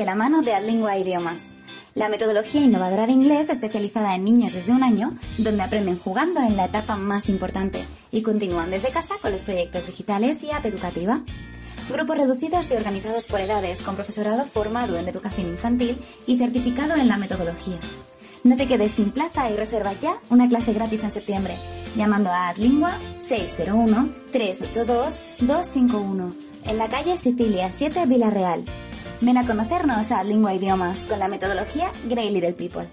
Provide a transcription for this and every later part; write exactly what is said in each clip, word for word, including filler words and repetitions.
de la mano de Adlingua Idiomas, la metodología innovadora de inglés especializada en niños desde un año, donde aprenden jugando en la etapa más importante y continúan desde casa con los proyectos digitales y app educativa. Grupos reducidos y organizados por edades, con profesorado formado en educación infantil y certificado en la metodología. No te quedes sin plaza y reserva ya una clase gratis en septiembre, llamando a Adlingua seis cero uno, tres ocho dos, dos cinco uno, en la calle Sicilia siete, Villarreal. Ven a conocernos a Adlingua Idiomas con la metodología Grey Little People.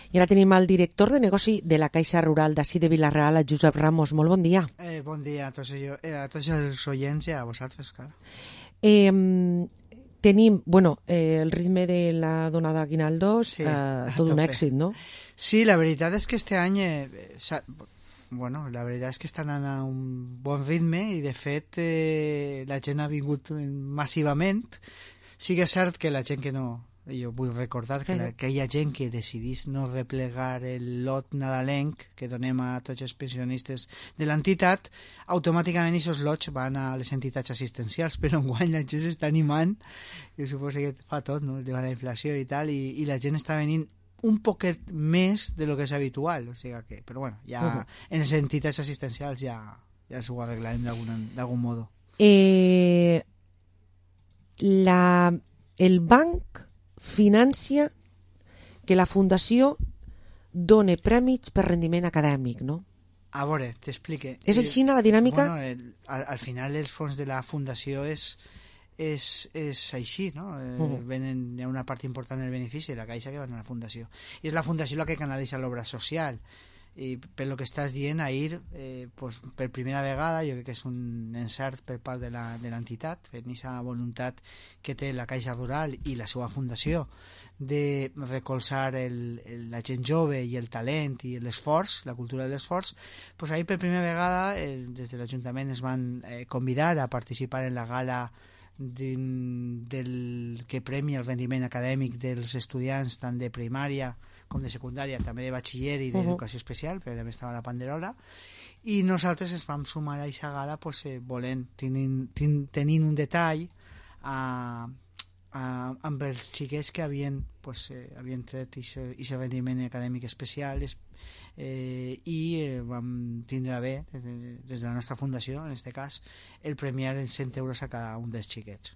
I ara tenim el director de negoci de la Caixa Rural d'ací de Vila-real, el Josep Ramos. Molt bon dia. Eh, bon dia a tots, jo, eh, a tots els oients i a vosaltres, clar. Eh, tenim, bueno, eh, el ritme de la donada Aguinaldos, Sí, eh, tot un èxit, no? Sí, la veritat és que este any, eh, bueno, la veritat és que estan anant a un bon ritme i de fet eh, la gent ha vingut massivament. Sí que és cert que la gent que no... Jo vull recordar que, la, que hi ha gent que decidís no replegar el lot nadalenc que donem a tots els pensionistes de l'entitat, automàticament aquests lots van a les entitats assistencials, però enguany la gent s'està animant, jo suposo que fa tot, no?, de la inflació i tal, i, i la gent està venint un poquet més de lo que és habitual, o sigui que, però bueno, ja uh -huh. en les entitats assistencials ja, ja s'ho arreglarem d'algun modo. Eh, la, el banc financia que la fundació done prèmits per rendiment acadèmic, no? A veure, t'explique. És així la dinàmica? Bueno, el, al, al final els fons de la fundació és, és, és així, no? Eh, uh -huh. Venen, hi ha una part important del benefici de la Caixa que van a la fundació. I és la fundació la que canalitza l'obra social. I per lo que estàs dient, ahir, eh, pues, per primera vegada, jo crec que és un encert per part de l'entitat, fent aquesta voluntat que té la Caixa Rural i la seva fundació de recolzar el, el, la gent jove i el talent i l'esforç, la cultura de l'esforç, pues ahir per primera vegada eh, des de l'Ajuntament es van eh, convidar a participar en la gala de, del que premia el rendiment acadèmic dels estudiants tant de primària com de secundària, també de batxiller i d'educació uh -huh. especial, però també estava la Panderola, i nosaltres ens vam sumar a aquesta gala pues, eh, volent, tenint, tenint un detall a, a, amb els xiquets que havien, pues, eh, havien tret aquest rendiment acadèmic especial eh, i eh, vam tindre bé, des de, des de la nostra fundació, en aquest cas, el premiar en cent euros a cada un dels xiquets.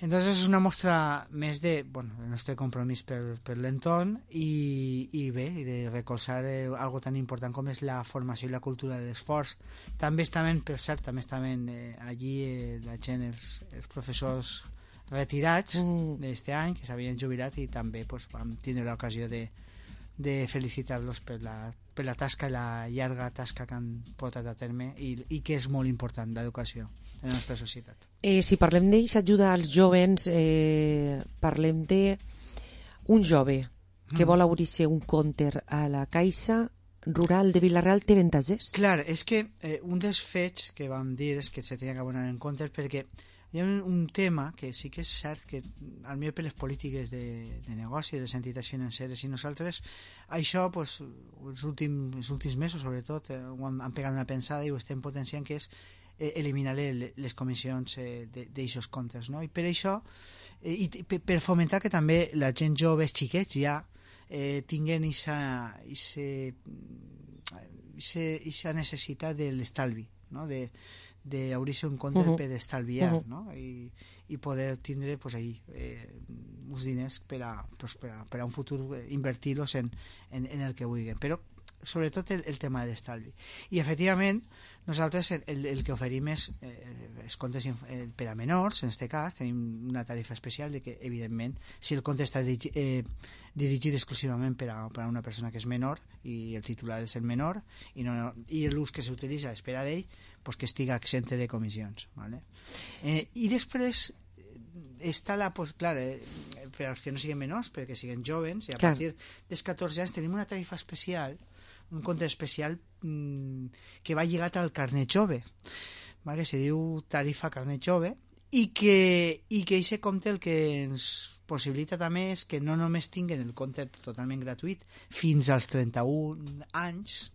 Entonces és una mostra més de, bueno, el nostre compromís per, per l'entorn i, i bé, i de recolzar eh, algo tan important com és la formació i la cultura de l'esforç. També estaven, per cert, també estaven eh, allí eh, la gent, els, els professors retirats mm. d'este any, que s'havien jubilat, i també pues, vam tindre l'ocasió de, de felicitar-los per la, per la tasca, la llarga tasca que han portat a terme i, i que és molt important, l'educació en la nostra societat. Eh, si parlem d'aquesta ajuda als jovens, eh, parlem d'un jove que mm. vol obrir-se un compte a la Caixa Rural de Vila-real, té avantatges? Clar, és que eh, un dels fets que vam dir és que se tenia que abonar en compte perquè hi ha un, un tema que sí que és cert que al millor per les polítiques de, de negoci de les entitats financeres i nosaltres això pues, els, últims, els últims mesos sobretot eh, ho han, han pegat una pensada i ho estem potenciant, que és eh, eliminar les comissions eh, d'aixòs comptes, no? I per això eh, i per, per fomentar que també la gent jove, els xiquets ja eh, tinguen aquesta necessitat de l'estalvi, no? de d'obrir-se un compte uh-huh. per estalviar uh-huh. no? I, i poder tindre pues, ahí, eh, uns diners per a, pues, per a, per a un futur eh, invertir-los en, en, en el que vulguin, però sobretot el, el tema de l'estalvi. I efectivament nosaltres el, el, el que oferim és eh, els comptes eh, per a menors, en aquest cas tenim una tarifa especial de que evidentment si el compte està dirigi, eh, dirigit exclusivament per a, per a una persona que és menor i el titular és el menor i, no, no, i l'ús que s'utilitza és per a d'ell, pues que estiga exente de comissions, ¿vale? Eh, i després està la, pues, clar, eh, per als que no siguin menors, perquè siguin jovens, i a clar. Partir dels catorze anys tenim una tarifa especial, un compte especial mmm, que va lligat al carnet jove. que se diu tarifa carnet jove, i que i que aquest compte el que ens possibilita també és que no només tinguen el compte totalment gratuït fins als trenta-un anys,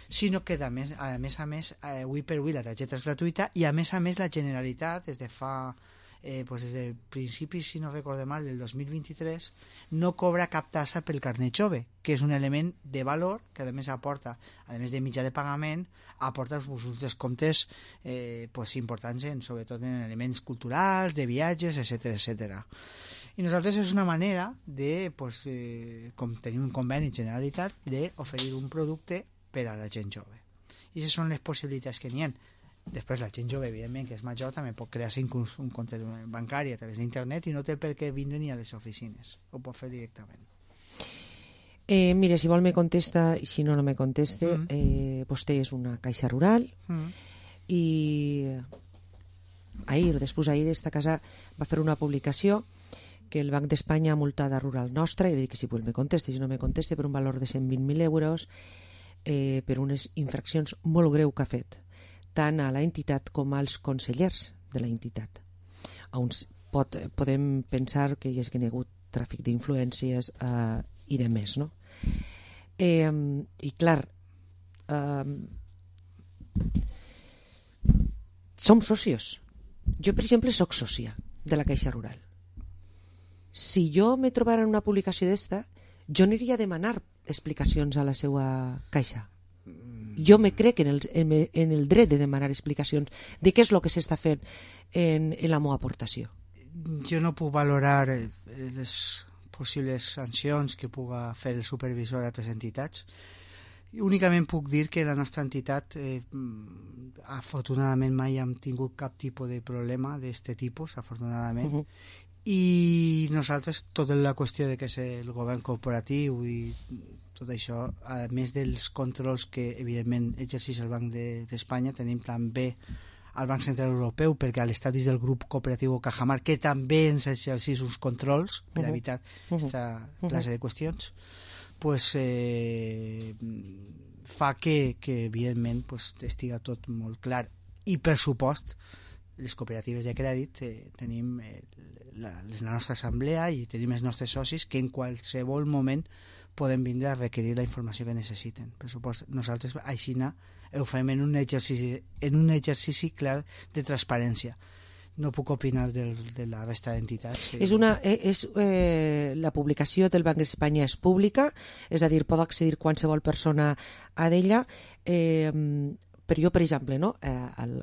sinó que a més a més, a més eh, avui per avui la targeta és gratuïta i a més a més la Generalitat des de fa eh, pues des de principis, si no recorde mal, del dos mil vint-i-tres no cobra cap tassa pel carnet jove, que és un element de valor que a més aporta, a més de mitjà de pagament, aporta uns descomptes eh, pues, importants en, sobretot en elements culturals, de viatges, etcètera etcètera. I nosaltres és una manera de, pues, eh, com tenim un conveni Generalitat, d'oferir un producte per a la gent jove. I aquestes són les possibilitats que n'hi ha. Després la gent jove, evidentment, que és major, també pot crear-se inclús un compte bancari a través d'internet i no té per què vindre ni a les oficines. Ho pot fer directament. Eh, mire, si vol me contesta i si no, no me conteste. Mm. Eh, vostè és una caixa rural mm. i ahir, després ahir, esta casa va fer una publicació que el Banc d'Espanya ha multat a Rural Nostra, i li dic que si vol me conteste, si no me conteste, per un valor de cent vint mil euros eh, per unes infraccions molt greu que ha fet tant a l'entitat com als consellers de la entitat. On pot, podem pensar que hi ha hagut tràfic d'influències eh, i de més, no? Eh, I clar, eh, som socios. Jo, per exemple, soc sòcia de la Caixa Rural. Si jo me trobara en una publicació d'esta, jo aniria a demanar explicacions a la seva caixa. Jo me crec en el, en el dret de demanar explicacions de què és el que s'està fent en, en la meva aportació. Jo no puc valorar les possibles sancions que puga fer el supervisor a altres entitats. Únicament puc dir que la nostra entitat eh, afortunadament mai hem tingut cap tipus de problema d'aquest tipus, afortunadament. Uh-huh. I nosaltres, tota la qüestió de que és el govern corporatiu i tot això, a més dels controls que evidentment exerceix el Banc d'Espanya, de, tenim també el Banc Central Europeu, perquè a l'estat és del grup cooperatiu Cajamar, que també ens exerceix uns controls per evitar aquesta uh-huh. classe de qüestions, pues, eh, fa que, que evidentment pues, estiga tot molt clar. I per supost, les cooperatives de crèdit eh, tenim eh, la, la nostra assemblea i tenim els nostres socis que en qualsevol moment poden vindre a requerir la informació que necessiten. Per supost, nosaltres així ho fem en un exercici, en un exercici clar de transparència. No puc opinar del, de la resta d'entitats. Que... És una, és, eh, la publicació del Banc d'Espanya és pública, és a dir, pot accedir qualsevol persona a d'ella, eh, però jo, per exemple, no, eh, el,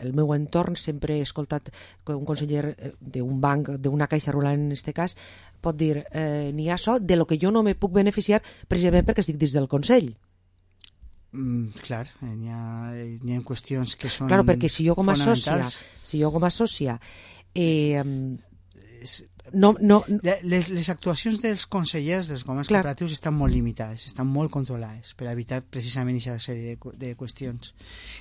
el meu entorn sempre he escoltat que un conseller d'un banc, d'una caixa rural en aquest cas, pot dir, eh, n'hi ha això de lo que jo no me puc beneficiar precisament perquè estic dins del Consell. Mm, clar, n'hi ha, n'hi ha qüestions que són claro, perquè si jo com a sòcia, si jo com a sòcia eh, no, no, les, les actuacions dels consellers dels governs clar. Cooperatius estan molt limitades, estan molt controlades per evitar precisament aquesta sèrie de, de qüestions,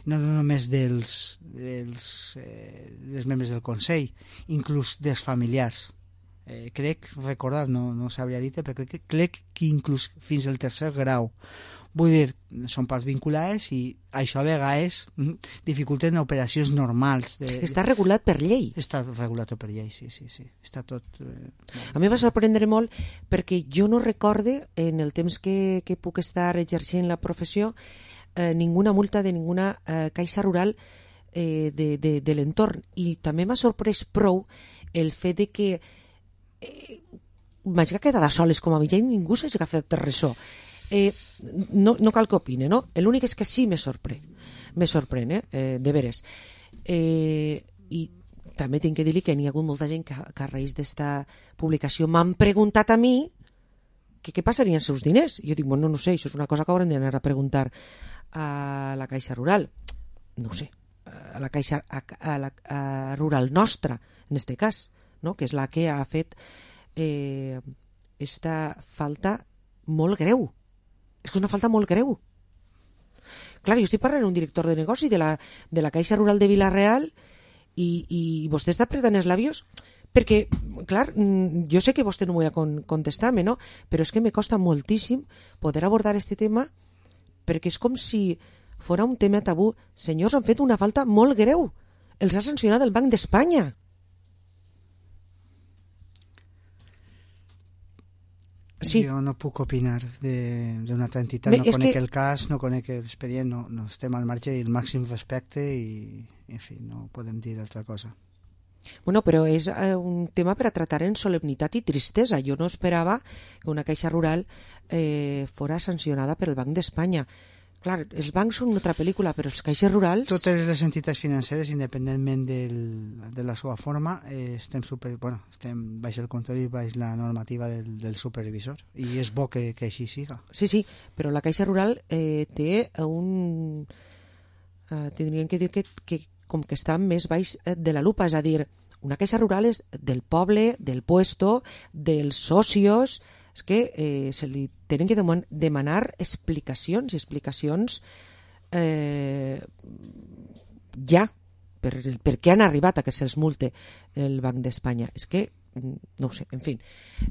no, no només dels, dels, eh, dels membres del Consell, inclús dels familiars. Eh, crec, recordar, no, no s'hauria dit, però crec, crec que inclús fins al tercer grau. Vull dir, són parts vinculades i això a vegades dificulten operacions normals. De... Està regulat per llei. Està regulat per llei, sí, sí, sí. Està tot... Eh... A mi va sorprendre molt perquè jo no recorde, en el temps que, que puc estar exercint la professió, eh, ninguna multa de ninguna eh, caixa rural eh, de, de, de l'entorn. I també m'ha sorprès prou el fet de que eh, m'hagi quedat a soles com a mitjà i ningú s'hagi fet ressò. Eh, no, no cal que opine, no? L'únic és que sí me sorprèn, me sorprèn, eh? eh de veres. Eh, I també tinc que dir-li que n'hi ha hagut molta gent que, que a raïs d'esta publicació m'han preguntat a mi que què passarien els seus diners. Jo dic, bueno, no sé, això és una cosa que haurem d'anar a preguntar a la Caixa Rural. No ho sé, a la Caixa a, a la a Rural Nostra, en este cas, no? Que és la que ha fet eh, esta falta molt greu. És que és una falta molt greu. Clar, jo estic parlant d'un director de negoci de la, de la Caixa Rural de Vila-real i, i vostè està apretant els labios perquè, clar, jo sé que vostè no m'ho ha contestar-me, no? Però és que me costa moltíssim poder abordar este tema perquè és com si fora un tema tabú. Senyors, han fet una falta molt greu. Els ha sancionat el Banc d'Espanya. Sí. Jo no puc opinar d'una altra entitat, no conec que... el cas, no conec l'expedient, no, no estem al marge i el màxim respecte i, en fi, no podem dir altra cosa. Bueno, però és eh, un tema per a tratar en solemnitat i tristesa. Jo no esperava que una caixa rural eh, fora sancionada per el Banc d'Espanya. Clar, els bancs són una altra pel·lícula, però els caixes rurals... Totes les entitats financeres, independentment del, de la seva forma, eh, estem, super, bueno, estem baix el control i baix la normativa del, del supervisor. I és bo que, que així siga. Sí, sí, però la caixa rural eh, té un... Eh, tindríem que dir que, que com que està més baix de la lupa, és a dir, una caixa rural és del poble, del puesto, dels socios... És que eh, se li tenen que demanar explicacions i explicacions eh, ja per, per què han arribat a que se'ls multe el Banc d'Espanya. És que, no ho sé, en fi,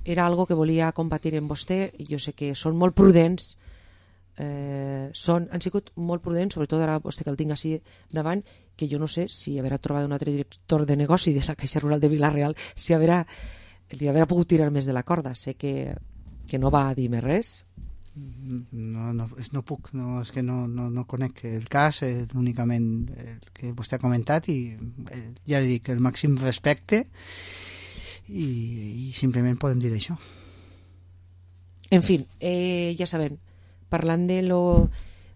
era algo que volia compartir amb vostè. Jo sé que són molt prudents, eh, són, han sigut molt prudents, sobretot ara vostè que el tinc així davant, que jo no sé si haurà trobat un altre director de negoci de la Caixa Rural de Vila-real, si haurà li haurà pogut tirar més de la corda. Sé que, que no va dir més res. No, no, no puc, no, és que no, no, no conec el cas, eh, únicament el que vostè ha comentat i eh, ja li dic, el màxim respecte i, i simplement podem dir això. En fi, eh, ja sabem, parlant de lo,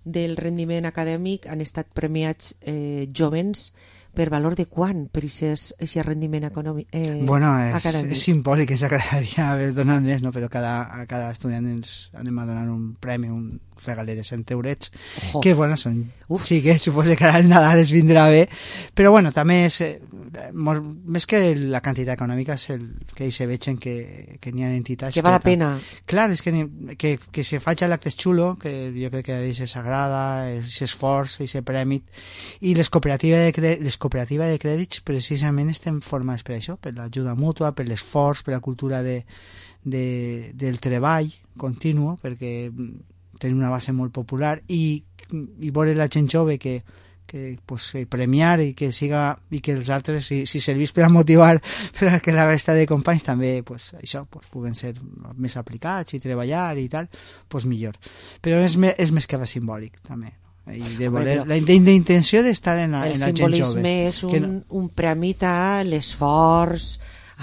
del rendiment acadèmic, han estat premiats eh, jovens per valor de quant per aquest rendiment econòmic, eh, bueno, és, acadèmic? És simbòlic, ens agradaria haver donat més, no? Però cada, a cada estudiant ens anem a donar un premi, un regaler de cent eurets, Ojo. que bueno, són... Uf. Sí, que suposo que ara el Nadal es vindrà bé, però bueno, també és, eh, molt, més que la quantitat econòmica és el que se vegen que, que n'hi ha entitats... Que val la pena. Clar, és que, que, que se faci l'acte xulo, que jo crec que a ells s'agrada, aquest esforç, aquest premi, i les cooperatives de crèdit, les cooperatives de crèdits precisament estem formades per això, per l'ajuda mútua, per l'esforç, per la cultura de, de, del treball continu, perquè tenen una base molt popular i, i veure la gent jove que, que pues, premiar i que siga i que els altres, si, si servís per a motivar per a que la resta de companys també pues, això, pues, puguen ser més aplicats i treballar i tal, pues millor. Però és, me, és més que res simbòlic també, no? I de voler, la, la intenció d'estar en la, en la gent jove. El simbolisme és un, no... un premi a l'esforç,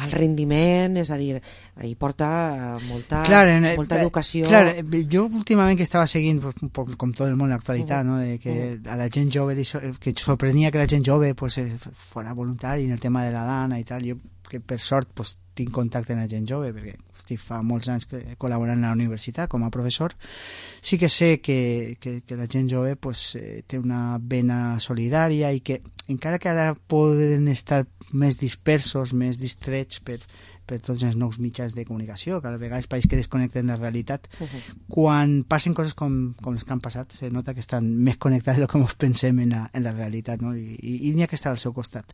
al rendiment, és a dir, hi porta molta, clar, molta educació. Clar, jo últimament que estava seguint un poc com tot el món l'actualitat, uh -huh. no? de que uh -huh. a la gent jove que sorprenia que la gent jove pues, fora voluntari en el tema de la dana i tal, jo que per sort pues, tinc contacte amb la gent jove perquè hosti, fa molts anys que col·laborant a la universitat com a professor, sí que sé que, que, que la gent jove pues, eh, té una vena solidària i que encara que ara poden estar més dispersos, més distrets per, per tots els nous mitjans de comunicació, que a vegades pareix que desconnecten la realitat. Uh -huh. Quan passen coses com, com les que han passat, se nota que estan més connectats del que ens pensem en la, en la realitat, no? I, i, i n'hi ha que estar al seu costat.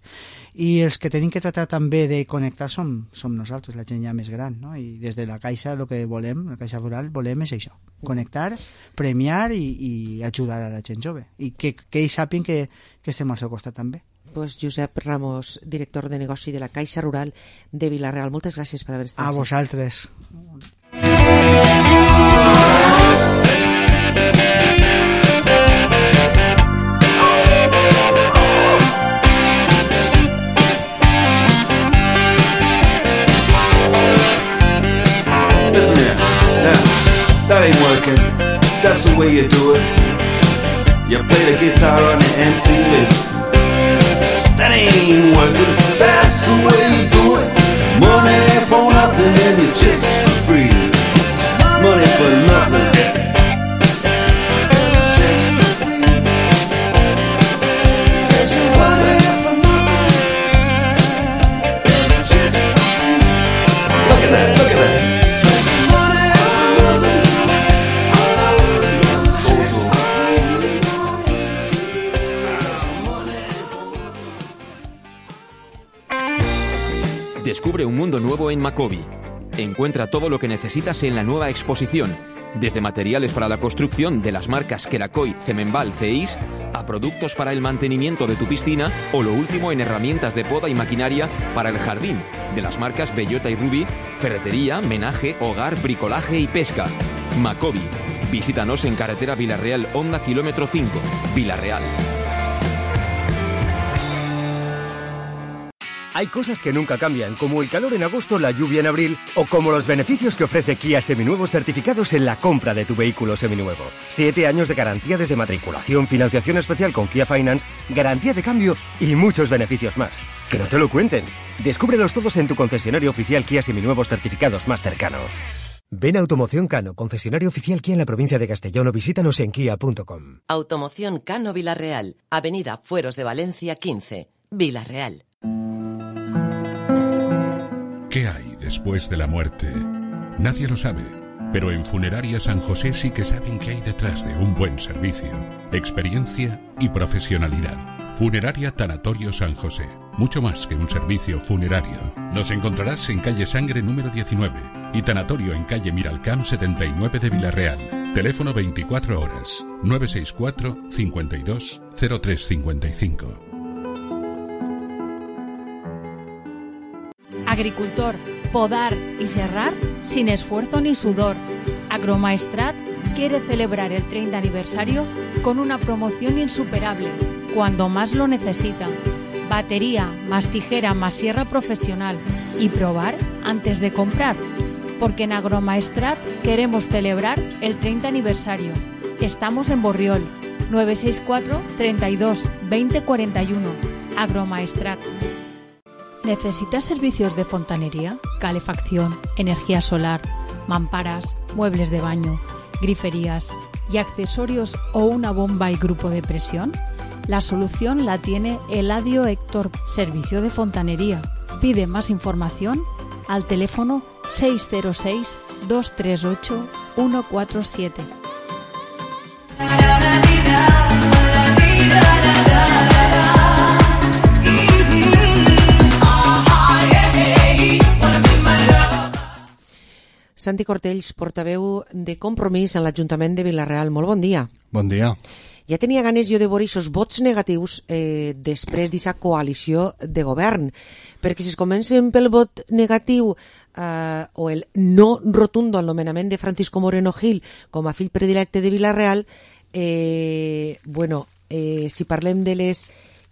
I els que tenim que tratar també de connectar som, som nosaltres, la gent ja més gran, no? I des de la Caixa el que volem, la Caixa Rural, volem és això, connectar, premiar i, i ajudar a la gent jove. I que, que ells sàpiguen que, que estem al seu costat també. Pues Josep Ramos, director de negoci de la Caixa Rural de Vila-real. Moltes gràcies per haver estat a vosaltres. Listen here, now, that ain't working. That's the way you do it. You play the guitar on the M T V. That ain't working, that's the way you do it. Money for nothing and your chicks for free. Money for nothing, chicks for free. Get your money for nothing, chicks for free. Look at that, look at that. Money for nothing, chicks for free. Descubre un mundo nuevo en Macobi. Encuentra todo lo que necesitas en la nueva exposición. Desde materiales para la construcción de las marcas Queracoy, Cemenval, Ceis, a productos para el mantenimiento de tu piscina o lo último en herramientas de poda y maquinaria para el jardín, de las marcas Bellota y Ruby, ferretería, menaje, hogar, bricolaje y pesca. Macobi. Visítanos en carretera Villarreal, Honda, kilómetro cinco, Villarreal. Hay cosas que nunca cambian, como el calor en agosto, la lluvia en abril, o como los beneficios que ofrece Kia Seminuevos certificados en la compra de tu vehículo seminuevo. Siete años de garantía desde matriculación, financiación especial con Kia Finance, garantía de cambio y muchos beneficios más. Que no te lo cuenten. Descúbrelos todos en tu concesionario oficial Kia Seminuevos certificados más cercano. Ven a Automoción Cano, concesionario oficial Kia en la provincia de Castellón, o visítanos en kia punto com. Automoción Cano Villarreal, Avenida Fueros de Valencia quince, Villarreal. ¿Qué hay después de la muerte? Nadie lo sabe, pero en Funeraria San José sí que saben qué hay detrás de un buen servicio, experiencia y profesionalidad. Funeraria Tanatorio San José, mucho más que un servicio funerario. Nos encontrarás en calle Sangre número diecinueve y Tanatorio en calle Miralcamp setenta y nueve de Villarreal. Teléfono veinticuatro horas, nueve seis cuatro, cincuenta y dos, cero tres cincuenta y cinco. Agricultor, podar y serrar sin esfuerzo ni sudor. Agromaestrat quiere celebrar el treinta aniversario con una promoción insuperable, cuando más lo necesita. Batería, más tijera, más sierra profesional y probar antes de comprar. Porque en Agromaestrat queremos celebrar el treinta aniversario. Estamos en Borriol, nueve seis cuatro, treinta y dos, veinte cuarenta y uno. Agromaestrat. ¿Necesitas servicios de fontanería, calefacción, energía solar, mamparas, muebles de baño, griferías y accesorios o una bomba y grupo de presión? La solución la tiene Eladio Héctor, servicio de fontanería. Pide más información al teléfono seis cero seis, dos tres ocho, uno cuatro siete. Santi Cortells, portaveu de Compromís en l'Ajuntament de Vilareal. Molt bon dia. Bon dia. Ja tenia ganes jo de veure aquests vots negatius eh, després d'aquesta coalició de govern, perquè si es comencen pel vot negatiu eh, o el no rotundo al nomenament de Francisco Moreno Gil com a fill predilecte de Vilareal, eh, bueno, eh, si parlem de les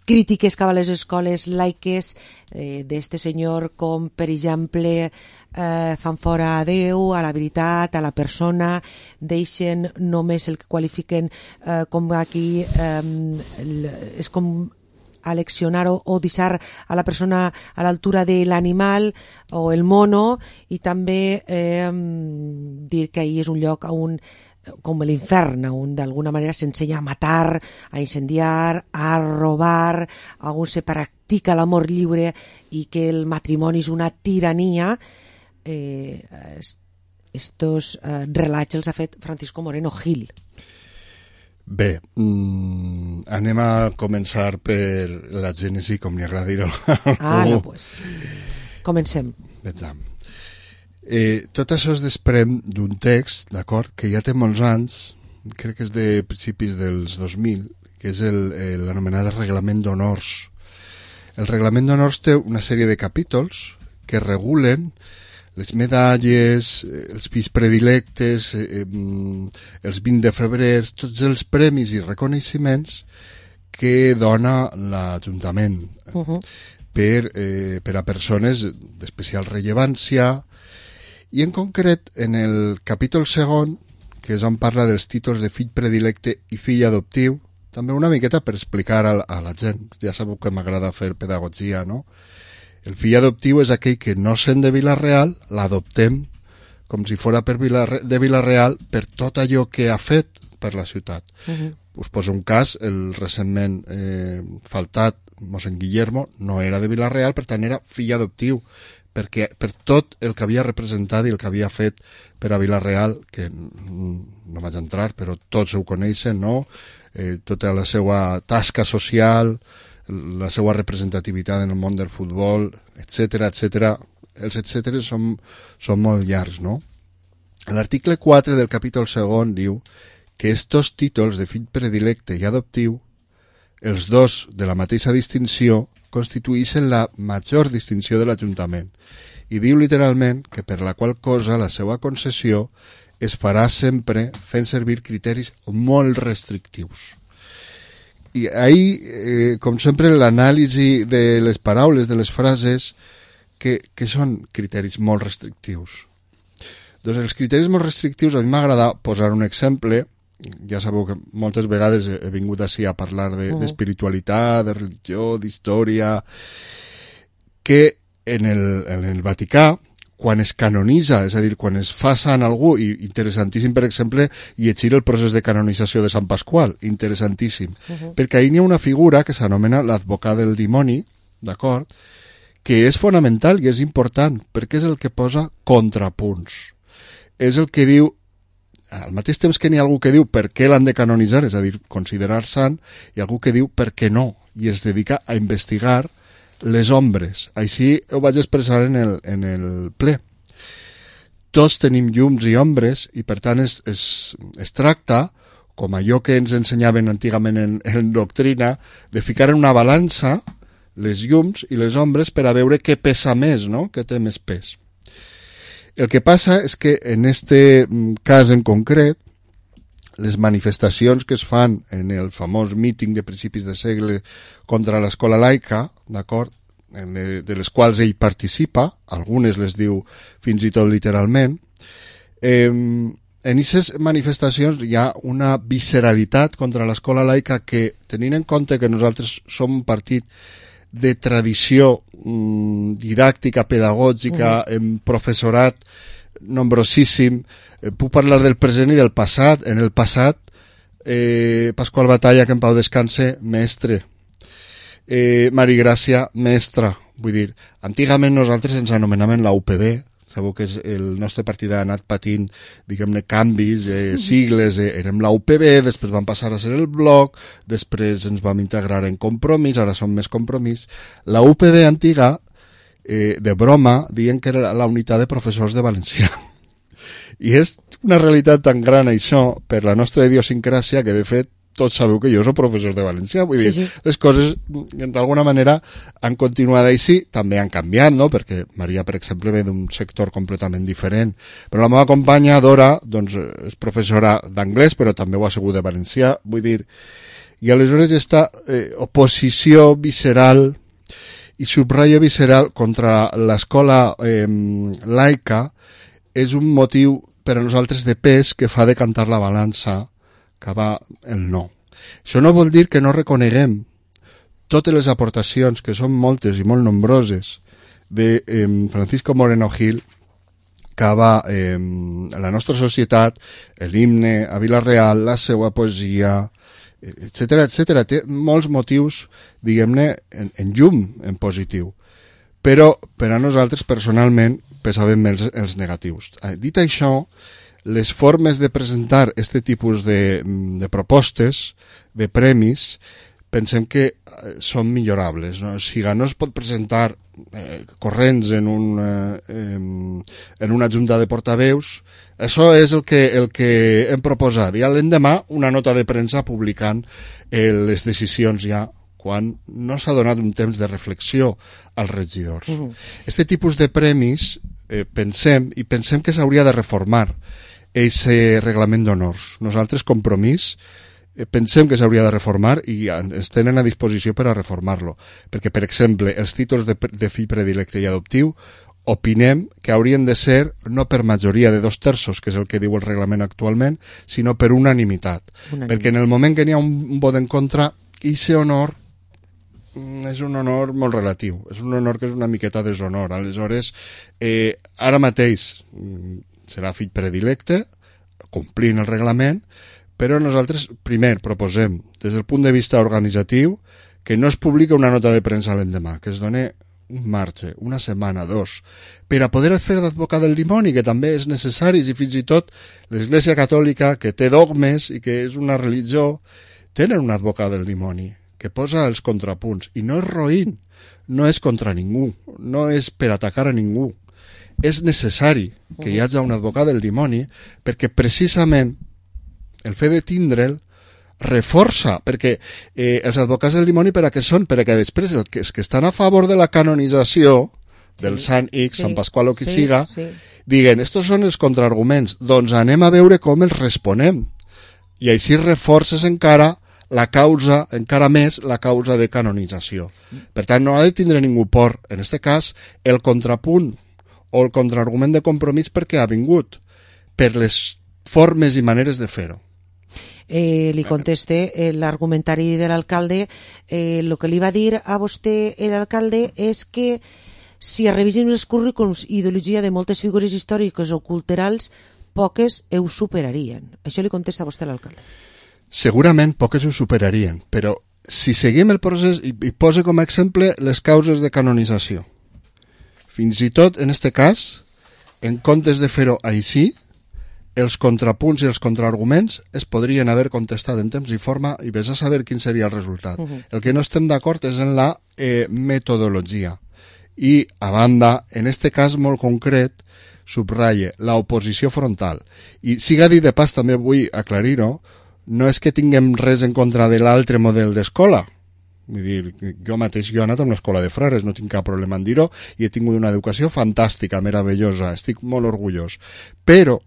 crítiques cap a les escoles laiques eh, d'este senyor, com per exemple eh, fan fora a Déu, a la veritat, a la persona, deixen només el que qualifiquen eh, com aquí eh, el, és com aleccionar o, o deixar a la persona a l'altura de l'animal o el mono, i també eh, dir que ahir és un lloc on com l'infern, on d'alguna manera s'ensenya a matar, a incendiar, a robar, on se practica l'amor lliure i que el matrimoni és una tirania. Eh, estos eh, relats els ha fet Francisco Moreno Gil. Bé, mmm, anem a començar per la gènesi, com li agrada dir-ho. Ah, no, pues comencem. Vetam. Eh, tot això es desprèn d'un text, d'acord, que ja té molts anys, crec que és de principis dels dos mil, que és l'anomenat Reglament d'Honors. El Reglament d'Honors té una sèrie de capítols que regulen les medalles, els fills predilectes, eh, els vint de febrer, tots els premis i reconeixements que dona l'Ajuntament uh-huh. per, eh, per a persones d'especial rellevància. I en concret, en el capítol segon, que és on parla dels títols de fill predilecte i fill adoptiu, també una miqueta per explicar a la, a la gent, ja sabeu que m'agrada fer pedagogia, no? El fill adoptiu és aquell que no sent de Vila-real, l'adoptem com si fora per Vila, de Vila-real per tot allò que ha fet per la ciutat. Uh-huh. Us poso un cas, el recentment eh, faltat mossèn Guillermo no era de Vila-real, per tant era fill adoptiu, perquè per tot el que havia representat i el que havia fet per a Vila-real, que no vaig entrar, però tots ho coneixen, no? Eh, tota la seva tasca social, la seva representativitat en el món del futbol, etcètera, etcètera. Els etcètera són, són molt llargs, no? L'article quatre del capítol segon diu que estos títols de fill predilecte i adoptiu, els dos de la mateixa distinció, constituïssin la major distinció de l'Ajuntament, i diu literalment que per la qual cosa la seva concessió es farà sempre fent servir criteris molt restrictius. I ahí, eh, com sempre, l'anàlisi de les paraules, de les frases, que, que són criteris molt restrictius. Doncs els criteris molt restrictius, a mi m'agrada posar un exemple. Ja sabeu que moltes vegades he vingut així a parlar de, uh-huh. d'espiritualitat, de religió, d'història, que en el, en el Vaticà, quan es canonitza, és a dir, quan es fa sant algú, i interessantíssim, per exemple, llegir el procés de canonització de Sant Pasqual, interessantíssim, uh-huh. perquè ahir hi ha una figura que s'anomena l'advocat del dimoni, d'acord?, que és fonamental i és important, perquè és el que posa contrapunts. És el que diu, al mateix temps que n'hi ha algú que diu per què l'han de canonitzar, és a dir, considerar sant, i algú que diu per què no, i es dedica a investigar les ombres. Així ho vaig expressar en el, en el ple. Tots tenim llums i ombres i per tant es, es, es tracta, com allò que ens ensenyaven antigament en, en doctrina, de ficar en una balança les llums i les ombres per a veure què pesa més, no? Què té més pes. El que passa és que en este cas en concret, les manifestacions que es fan en el famós míting de principis de segle contra l'escola laica, d'acord, de, de les quals ell participa, algunes les diu fins i tot literalment, eh, en aquestes manifestacions hi ha una visceralitat contra l'escola laica que, tenint en compte que nosaltres som un partit de tradició mm, didàctica, pedagògica, uh-huh. en professorat nombrosíssim, eh, puc parlar del present i del passat. En el passat, eh, Pasqual Batalla, que en pau descanse, mestre. Eh, Mari Gràcia, mestra. Vull dir, antigament nosaltres ens anomenaven la U P B, sabeu que el nostre partit ha anat patint, diguem-ne, canvis, eh, sigles, eh, érem la U P B, després vam passar a ser el Bloc, després ens vam integrar en Compromís, ara som més Compromís. La U P B antiga, eh, de broma, diuen que era la unitat de professors de valencià. I és una realitat tan gran això, per la nostra idiosincràsia, que de fet tots sabeu que jo soc professor de valencià, vull dir, sí, sí. Les coses d'alguna manera han continuat així, també han canviat, no?, perquè Maria, per exemple, ve d'un sector completament diferent, però la meva companya, Dora, doncs és professora d'anglès, però també ho ha sigut de valencià, vull dir, i aleshores aquesta eh, oposició visceral i subratlla visceral contra l'escola eh, laica és un motiu per a nosaltres de pes que fa decantar la balança cap el no. Això no vol dir que no reconeguem totes les aportacions, que són moltes i molt nombroses, de eh, Francisco Moreno Gil cap a eh, la nostra societat, l'himne a Vila-real, la seva poesia, etcètera, etcètera. Té molts motius, diguem-ne, en, en llum, en positiu. Però per a nosaltres, personalment, pesaven més els negatius. Dit això, les formes de presentar aquest tipus de, de propostes, de premis, pensem que són millorables. No? O sigui, no es pot presentar eh, corrents en, un, eh, en una junta de portaveus. Això és el que, el que hem proposat. I l'endemà una nota de premsa publicant eh, les decisions ja quan no s'ha donat un temps de reflexió als regidors. Uh-huh. Este tipus de premis eh, pensem, i pensem que s'hauria de reformar aquest reglament d'honors. Nosaltres, Compromís, eh, pensem que s'hauria de reformar i ens tenen a disposició per a reformar-lo. Perquè, per exemple, els títols de, de fill predilecte i adoptiu opinem que haurien de ser no per majoria de dos terços, que és el que diu el reglament actualment, sinó per unanimitat. unanimitat. Perquè en el moment que n'hi ha un vot en contra, aquest honor és un honor molt relatiu. És un honor que és una miqueta deshonor. Aleshores, eh, ara mateix serà fill predilecte, complint el reglament, però nosaltres, primer, proposem, des del punt de vista organitzatiu, que no es publica una nota de premsa l'endemà, que es doni un marge, una setmana, dos, per a poder fer d'advocat del dimoni, que també és necessari, i fins i tot l'Església Catòlica, que té dogmes i que és una religió, tenen un advocat del dimoni, que posa els contrapunts, i no és roïn, no és contra ningú, no és per atacar a ningú, és necessari que hi hagi un advocat del dimoni, perquè precisament el fet de tindre'l reforça, perquè eh, els advocats del dimoni per a què són? Perquè després els que, els que estan a favor de la canonització del sí, Sant X, sí, Sant Pasqual o qui sí, siga, sí. diguen, estos són els contraarguments, doncs anem a veure com els responem. I així reforces encara la causa, encara més la causa de canonització. Per tant, no ha de tindre ningú por, en aquest cas, el contrapunt o el contraargument de compromís perquè ha vingut, per les formes i maneres de fer-ho. Eh, li conteste eh, l'argumentari de l'alcalde. Eh, el que li va dir a vostè l'alcalde és que si revisem els currículums i ideologia de moltes figures històriques o culturals, poques ho superarien. Això li contesta a vostè l'alcalde. Segurament poques ho superarien, però si seguim el procés, i, i posa com a exemple les causes de canonització. Fins i tot, en aquest cas, en comptes de fer-ho així, els contrapunts i els contraarguments es podrien haver contestat en temps i forma i vés a saber quin seria el resultat. Uh-huh. El que no estem d'acord és en la eh, metodologia. I, a banda, en este cas molt concret, subratlle l'oposició frontal. I, siga dit de pas, també vull aclarir-ho, no és que tinguem res en contra de l'altre model d'escola. Vull dir, jo mateix jo he anat a una escola de frares, no tinc cap problema en dir-ho, i he tingut una educació fantàstica, meravellosa, estic molt orgullós. Però,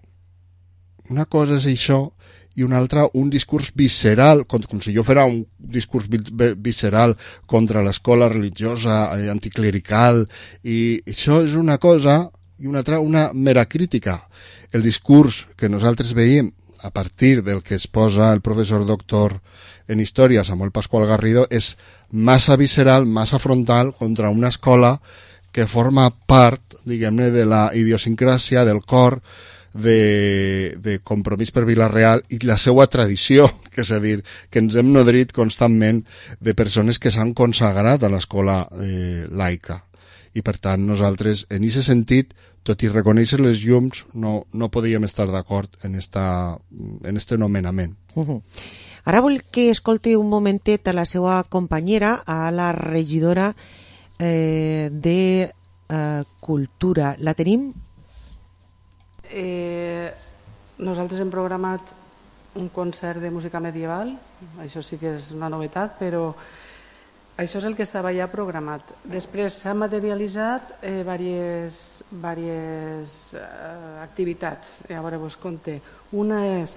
una cosa és això, i una altra, un discurs visceral, com, com si jo fera un discurs visceral contra l'escola religiosa, eh, anticlerical, i això és una cosa, i una altra, una mera crítica. El discurs que nosaltres veiem a partir del que es posa el professor doctor en història, Samuel Pascual Garrido, és massa visceral, massa frontal contra una escola que forma part, diguem-ne, de la idiosincràsia, del cor, de, de Compromís per Vila-real i la seva tradició, que és a dir, que ens hem nodrit constantment de persones que s'han consagrat a l'escola eh, laica. I per tant nosaltres, en aquest sentit, tot i reconèixer les llums, no, no podíem estar d'acord en esta, en este nomenament. Uh-huh. Ara vull que escolti un momentet a la seva companyera, a la regidora eh, de eh, Cultura. La tenim? Eh, nosaltres hem programat un concert de música medieval, això sí que és una novetat, però això és el que estava ja programat. Després s'han materialitzat eh, diverses, diverses eh, activitats. I a veure, vos conté. Una és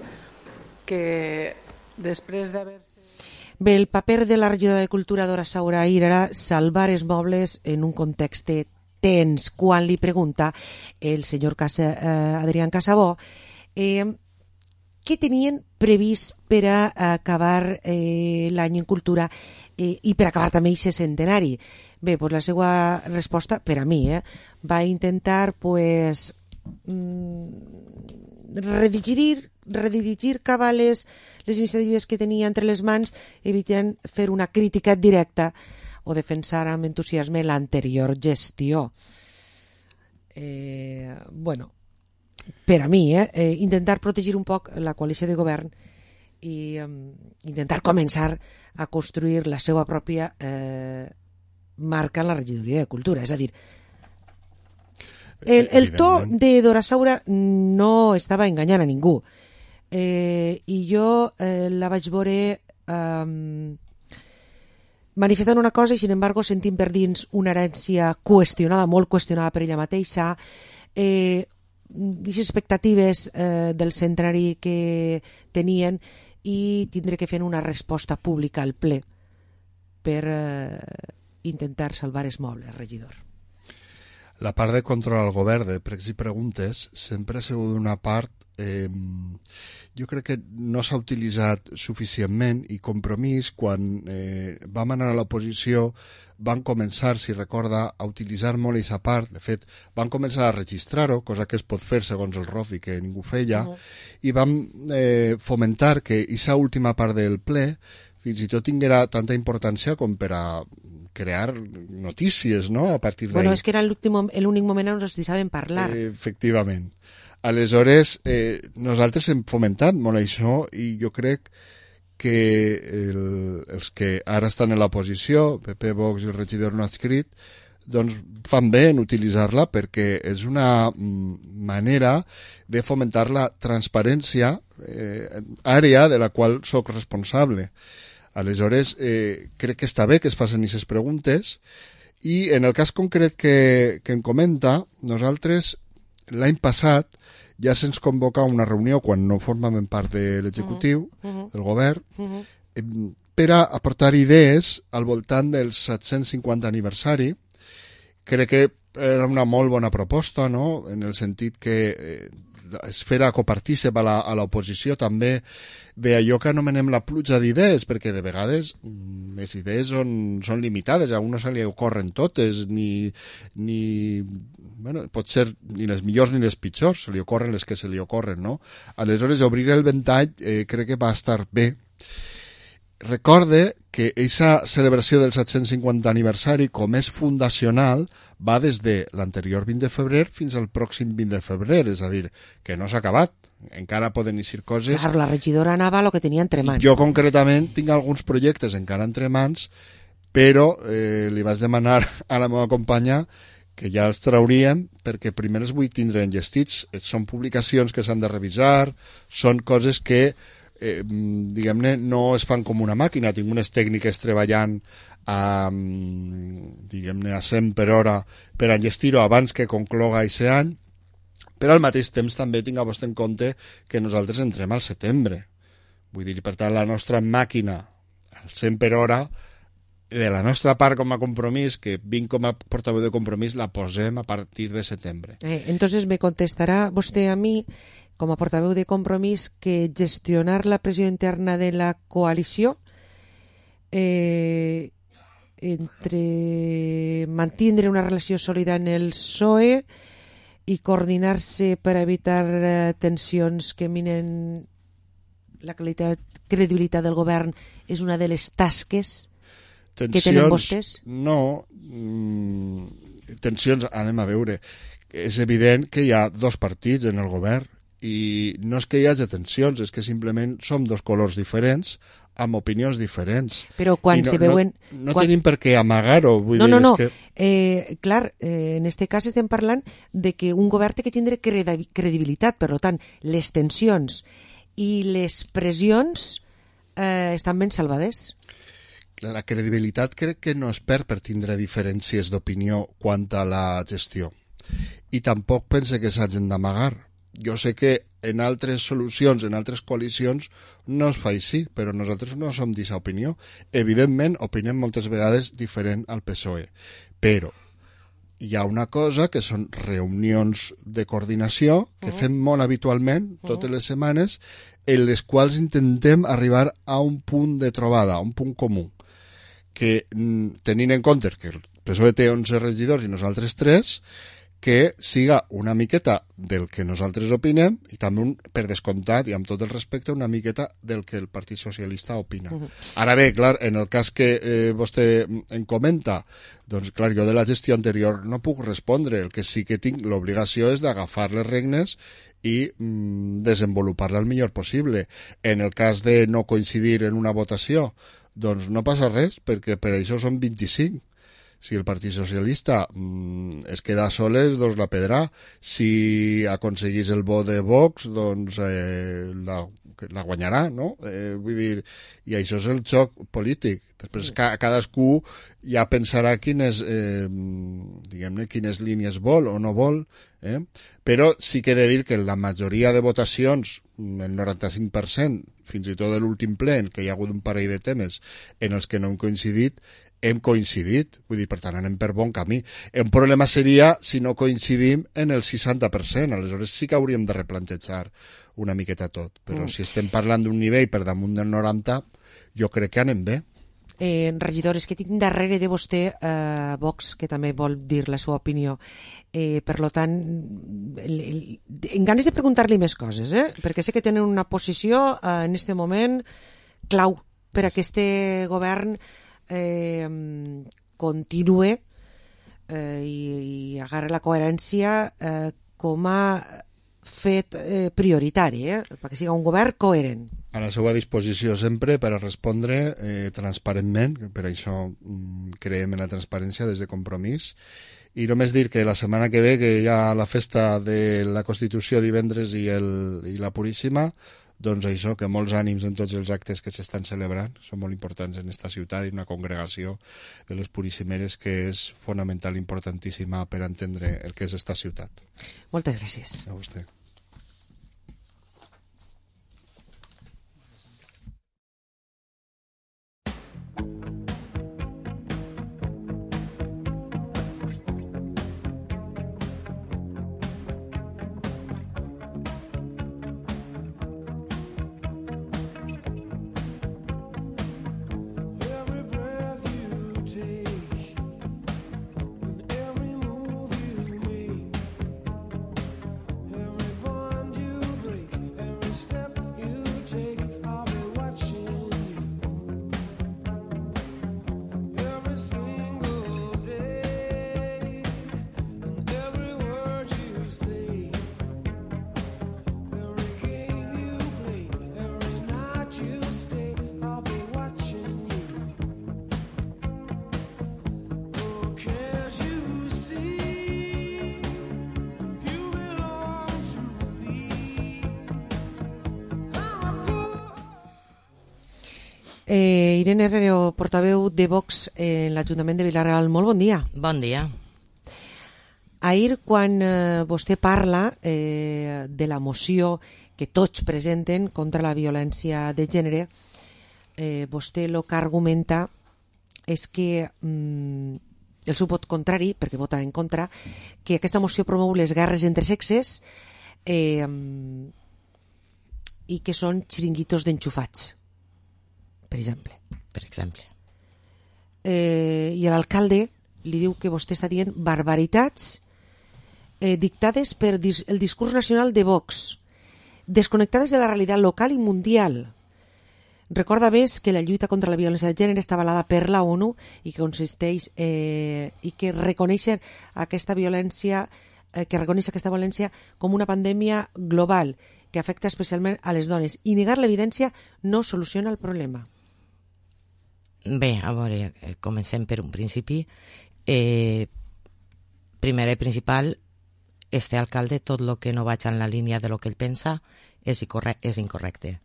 que després d'haver... Bé, el paper de la regidora de Cultura Dora Saura ahir era salvar els mobles en un context tens, quan li pregunta el senyor Casa, eh, Adrián Casabó eh, què tenien previst per a acabar eh, l'any en cultura eh, i per acabar també aquest centenari. Bé, pues la seva resposta, per a mi, eh, va intentar pues, mm, redirigir, redirigir cap a les, les iniciatives que tenia entre les mans, evitant fer una crítica directa o defensar amb entusiasme l'anterior gestió. Eh, bueno, per a mi, eh, eh, intentar protegir un poc la coalició de govern i eh, intentar començar a construir la seva pròpia eh, marca en la regidoria de Cultura. És a dir, el, el to de Dora Saura no estava enganyant a ningú. Eh, I jo eh, la vaig veure... Eh, manifestant una cosa i, sin embargo, sentint per dins una herència qüestionada, molt qüestionada per ella mateixa, eh, les expectatives eh, del centenari que tenien i tindre que fer una resposta pública al ple per eh, intentar salvar els mobles, regidor. La part de control al govern de pregs i preguntes sempre ha sigut una part eh, jo crec que no s'ha utilitzat suficientment i Compromís, quan eh, vam anar a l'oposició, van començar, si recorda, a utilitzar molt aquesta part. De fet, van començar a registrar-ho, cosa que es pot fer segons el R O F I, que ningú feia, uh-huh. i vam eh, fomentar que aquesta última part del ple fins i tot tinguera tanta importància com per a crear notícies, no?, a partir d'ahí. Bueno, és que era l'únic moment on ens deixaven parlar. Eh, efectivament. Aleshores, eh, nosaltres hem fomentat molt això i jo crec que el, els que ara estan en l'oposició, P P, Vox i el regidor no adscrit, doncs fan bé en utilitzar-la perquè és una manera de fomentar la transparència, eh, àrea de la qual sóc responsable. Aleshores, eh, crec que està bé que es facin aquestes preguntes, i en el cas concret que, que em comenta, nosaltres l'any passat ja se'ns convoca una reunió quan no formàvem part de l'executiu, uh-huh. del govern, uh-huh. eh, per a aportar idees al voltant del set-cents cinquanta aniversari. Crec que era una molt bona proposta, no?, en el sentit que eh, es fera copartícip a la, a l'oposició també d'allò que anomenem la pluja d'idees, perquè de vegades les idees són, són limitades, a un no se li ocorren totes, ni, ni bueno, pot ser ni les millors ni les pitjors, se li ocorren les que se li ocorren, no? Aleshores, obrir el ventall eh, crec que va estar bé. Recorde que aquesta celebració del set-cents cinquanta aniversari, com és fundacional, va des de l'anterior vint de febrer fins al pròxim vint de febrer, és a dir, que no s'ha acabat, encara poden eixir coses. Claro, la regidora anava a lo que tenia entre mans. Jo concretament tinc alguns projectes encara entre mans, però eh, li vaig demanar a la meva companya que ja els trauríem, perquè primer els vull tindre enllestits. Són publicacions que s'han de revisar, són coses que Eh, diguem-ne, no es fan com una màquina. Tinc unes tècniques treballant a, diguem-ne, a cent per hora per enllestir-ho abans que concloga aquest any, però al mateix temps també tinc a vostè en compte que nosaltres entrem al setembre. Vull dir, per tant, la nostra màquina al cent per hora, de la nostra part com a compromís, que vinc com a portaveu de compromís, la posem a partir de setembre. Eh, entonces me contestarà vostè a mi, com a portaveu de Compromís, que gestionar la pressió interna de la coalició eh, entre mantindre una relació sòlida en el P S O E i coordinar-se per evitar eh, tensions que minen la qualitat, credibilitat del govern és una de les tasques tensions, que tenen vostès? No, mm, tensions, anem a veure. És evident que hi ha dos partits en el govern, i no és que hi hagi tensions, és que simplement som dos colors diferents amb opinions diferents. Però quan no, se veuen... No, no quan... tenim per què amagar-ho. Vull no, dir, no, no. És que... eh, clar, eh, en este cas estem parlant de que un govern té que tindre credibilitat, per tant, les tensions i les pressions eh, estan ben salvades. La credibilitat crec que no es perd per tindre diferències d'opinió quant a la gestió. I tampoc pense que s'hagin d'amagar. Jo sé que en altres solucions, en altres coalicions, no es fa així, però nosaltres no som d'aquesta opinió. Evidentment, opinem moltes vegades diferent al P S O E. Però hi ha una cosa que són reunions de coordinació que uh-huh. fem molt habitualment, totes uh-huh. les setmanes, en les quals intentem arribar a un punt de trobada, a un punt comú, que tenint en compte que el P S O E té onze regidors i nosaltres tres, que siga una miqueta del que nosaltres opinem i també, un, per descomptat i amb tot el respecte, una miqueta del que el Partit Socialista opina. Uh-huh. Ara bé, clar, en el cas que eh, vostè em comenta, doncs clar, jo de la gestió anterior no puc respondre. El que sí que tinc l'obligació és d'agafar les regnes i mm, desenvolupar-la el millor possible. En el cas de no coincidir en una votació, doncs no passa res, perquè per això són vint-i-cinc. Si el Partit Socialista mmm, es queda soles, doncs la pedrà. Si aconseguís el vot de Vox, doncs eh, la, la guanyarà, no? Eh, vull dir, i això és el joc polític. Després ca, cadascú ja pensarà quines, eh, diguem-ne, quines línies vol o no vol, eh? Però sí que he de dir que en la majoria de votacions, el noranta-cinc per cent, fins i tot de l'últim ple, en què hi ha hagut un parell de temes en els que no hem coincidit, hem coincidit, vull dir, per tant, anem per bon camí. Un problema seria si no coincidim en el seixanta per cent, aleshores sí que hauríem de replantejar una miqueta tot, però mm. si estem parlant d'un nivell per damunt del noranta, jo crec que anem bé. Eh, regidor, és que tinc darrere de vostè eh, Vox, que també vol dir la seva opinió. Eh, per lo tant, el, el, en ganes de preguntar-li més coses, eh? Perquè sé que tenen una posició eh, en este moment clau per a aquest govern eh, continue eh, i, i agarra la coherència eh, com a fet eh, prioritari, eh? Perquè siga un govern coherent. a la seva disposició sempre per a respondre eh, transparentment, per això mm, creiem en la transparència des de Compromís. I només dir que la setmana que ve, que hi ha la festa de la Constitució divendres i, el, i la Puríssima, doncs això, que molts ànims en tots els actes que s'estan celebrant, són molt importants en esta ciutat, i una congregació de les Puríssimeres que és fonamental, importantíssima per entendre el que és esta ciutat. Moltes gràcies. A vostè. Eh, Irene Herrero, portaveu de Vox en l'Ajuntament de Vila-real, molt bon dia. Bon dia. Ahir, quan eh, vostè parla eh, de la moció que tots presenten contra la violència de gènere, eh, vostè el que argumenta és que mm, el seu vot contrari, perquè vota en contra, que aquesta moció promou les guerres entre sexes eh, i que són xiringuitos d'enxufats, per exemple. Per exemple. Eh, I l'alcalde li diu que vostè està dient barbaritats eh, dictades per dis el discurs nacional de Vox, desconnectades de la realitat local i mundial. Recorda més que la lluita contra la violència de gènere està avalada per la ONU i que consisteix eh, i que reconèixer aquesta violència eh, que reconeix aquesta violència com una pandèmia global que afecta especialment a les dones, i negar l'evidència no soluciona el problema. Bé, a veure, comencem per un principi. Eh, primer i principal, este alcalde, tot el que no vaig en la línia de lo que ell pensa és, és incorrecte.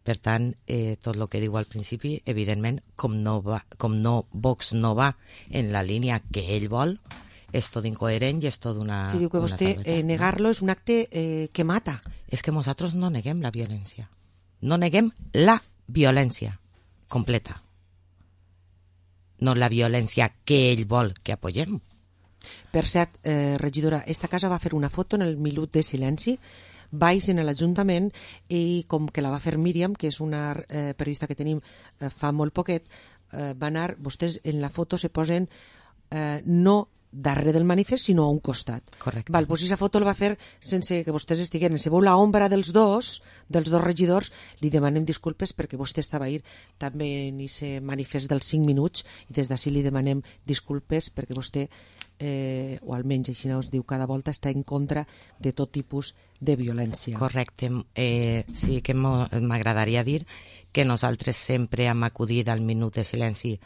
Per tant, eh, tot el que diu al principi, evidentment, com no, va, com no Vox no va en la línia que ell vol, és tot incoherent i és tot una... Si diu que vostè eh, negar-lo és un acte eh, que mata. És que nosaltres no neguem la violència. No neguem la violència completa. No la violència que ell vol que apoyem. Per cert, eh, regidora, esta casa va fer una foto en el minut de silenci baix en l'Ajuntament, i com que la va fer Míriam, que és una eh, periodista que tenim eh, fa molt poquet, eh, va anar, vostès en la foto se posen eh, no darrere del manifest, sinó a un costat. Correcte. Val, doncs aquesta foto la va fer sense que vostès estigueren. Si veu la ombra dels dos, dels dos regidors, li demanem disculpes perquè vostè estava ahir també en aquest manifest dels cinc minuts, i des d'ací li demanem disculpes perquè vostè, eh, o almenys així us diu cada volta, està en contra de tot tipus de violència. Correcte. Eh, sí que m'agradaria dir que nosaltres sempre hem acudit al minut de silenci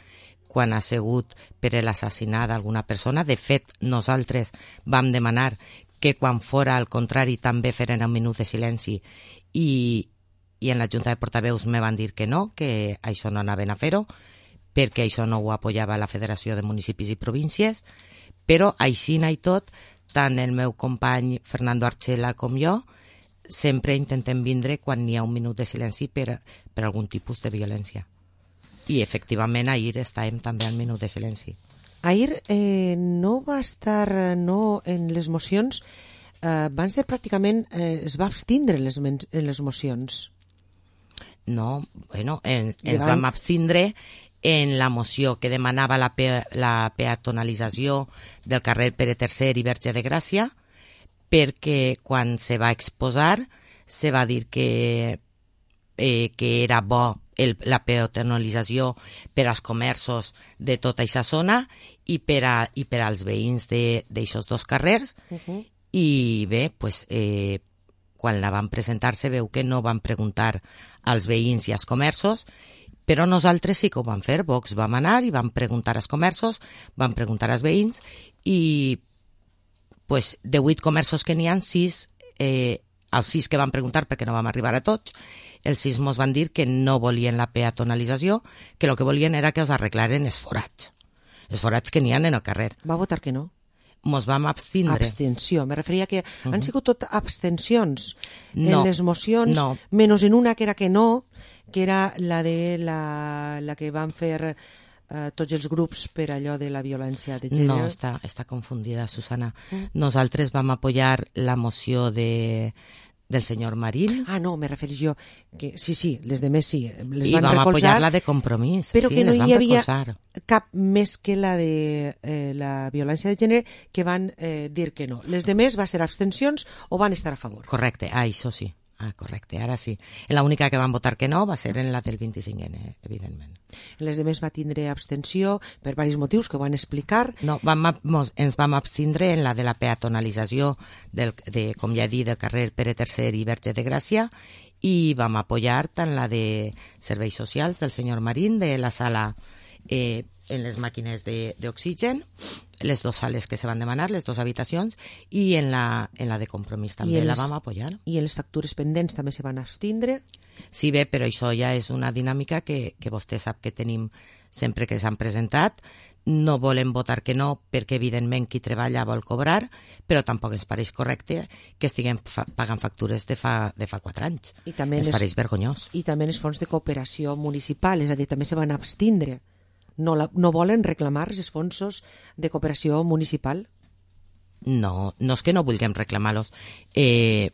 quan ha sigut per l'assassinat d'alguna persona. De fet, nosaltres vam demanar que quan fora al contrari també feren un minut de silenci, i, i en la Junta de Portaveus me van dir que no, que això no anaven a fer-ho, perquè això no ho apoyava la Federació de Municipis i Províncies, però així i tot, tant el meu company Fernando Archela com jo, sempre intentem vindre quan hi ha un minut de silenci per, per algun tipus de violència. I efectivament ahir estàvem també al minut de silenci. Ahir eh, no va estar no, en les mocions, eh, van ser pràcticament, eh, es va abstindre en les, en les mocions. No, bueno, en, ens vam abstindre en la moció que demanava la, pe la peatonalització del carrer Pere tercer i Verge de Gràcia, perquè quan se va exposar se va dir que, eh, que era bo el, la peatonalització per als comerços de tota aquesta zona i per, a, i per als veïns d'aixòs dos carrers. Uh-huh. I bé, pues, eh, quan la van presentar se veu que no van preguntar als veïns i als comerços, però nosaltres sí que ho vam fer. Vox vam anar i vam preguntar als comerços, vam preguntar als veïns i pues, de vuit comerços que n'hi ha, sis, eh, els sis que van preguntar perquè no vam arribar a tots, els sis mos van dir que no volien la peatonalització, que el que volien era que els arreglaren els forats, els forats que n'hi ha en el carrer. Va votar que no? Mos vam abstindre. Abstenció, me referia que uh -huh. han sigut tot abstencions no, en les mocions, no. menys en una que era que no, que era la de la, la que van fer eh, tots els grups per allò de la violència de gènere. No, està, està confundida, Susana. Mm. Nosaltres vam apoyar la moció de del senyor Marín. Ah, no, me refereixo jo que sí, sí, les demés sí, les I van vam recolzar, apoyar la de Compromís, però sí, que no les vam hi havia recolzar. cap més que la de eh, la violència de gènere que van eh, dir que no. Les demés va ser abstencions o van estar a favor? Correcte, ah, això sí. Ah, correcte, ara sí. La única que van votar que no va ser en la del vint-i-cinc ene, evidentment. Les demés va tindre abstenció per diversos motius que ho van explicar. No, vam, mos, ens vam abstindre en la de la peatonalització, del, de, com ja he dit, del carrer Pere tercer i Verge de Gràcia, i vam apoyar tant la de serveis socials del senyor Marín, de la sala eh, en les màquines d'oxigen, les dues sales que se van demanar, les dues habitacions, i en la, en la de Compromís també les, la vam apoyar. I en les factures pendents també se van abstindre? Sí, bé, però això ja és una dinàmica que, que vostè sap que tenim sempre que s'han presentat. No volem votar que no perquè, evidentment, qui treballa vol cobrar, però tampoc ens pareix correcte que estiguem fa pagant factures de fa, de fa quatre anys. I també ens les, pareix vergonyós. I també els fons de cooperació municipal, és a dir, també se van abstindre. No, la, no volen reclamar els fons de cooperació municipal? No, no és que no vulguem reclamar-los. Eh,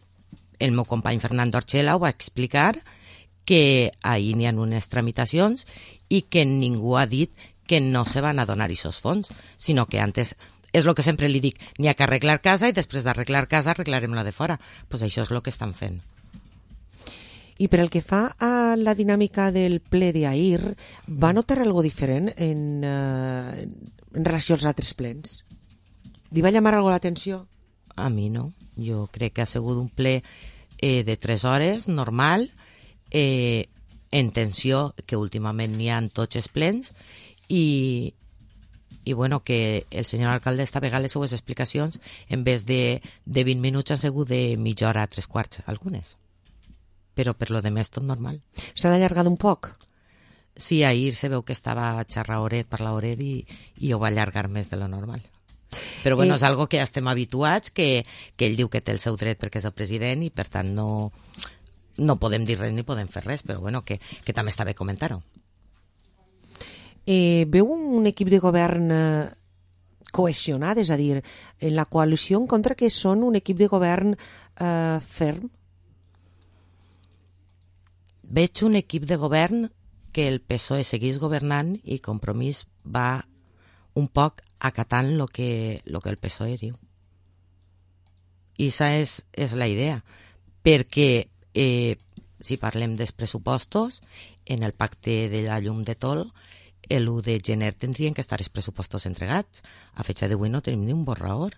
el meu company Fernando Orchela ho va explicar, que ahir n'hi ha unes tramitacions i que ningú ha dit que no se van a donar aquests fons, sinó que antes, és el que sempre li dic, n'hi ha que arreglar casa i després d'arreglar casa arreglarem la de fora. Pues això és el que estan fent. I per el que fa a la dinàmica del ple d'ahir, va notar algo diferent en, uh, en relació als altres plens? Li va llamar algo l'atenció? A mi no. Jo crec que ha sigut un ple eh, de tres hores, normal, eh, en tensió, que últimament n'hi ha en tots els plens, i, i bueno, que el senyor alcalde esta vegada les seues explicacions, en vez de, de vint minuts, han sigut de mitja hora a tres quarts, algunes. Però per lo demés tot normal. S'han allargat un poc? Sí, ahir se veu que estava xerraoret per l'oret i, i ho va allargar més de lo normal. Però bueno, eh... és algo que ja estem habituats, que, que ell diu que té el seu dret perquè és el president i per tant no, no podem dir res ni podem fer res, però bueno, que, que també està bé comentar-ho. Eh, veu un equip de govern eh, cohesionat, és a dir, en la coalició en contra que són un equip de govern eh, ferm? Veig un equip de govern que el P S O E seguís governant i Compromís va un poc acatant el que, lo que el P S O E diu. I aquesta és, és la idea, perquè eh, si parlem dels pressupostos, en el pacte de la llum de Tol, l'u de gener tindrien que estar els pressupostos entregats. A fecha d'avui no tenim ni un borrador.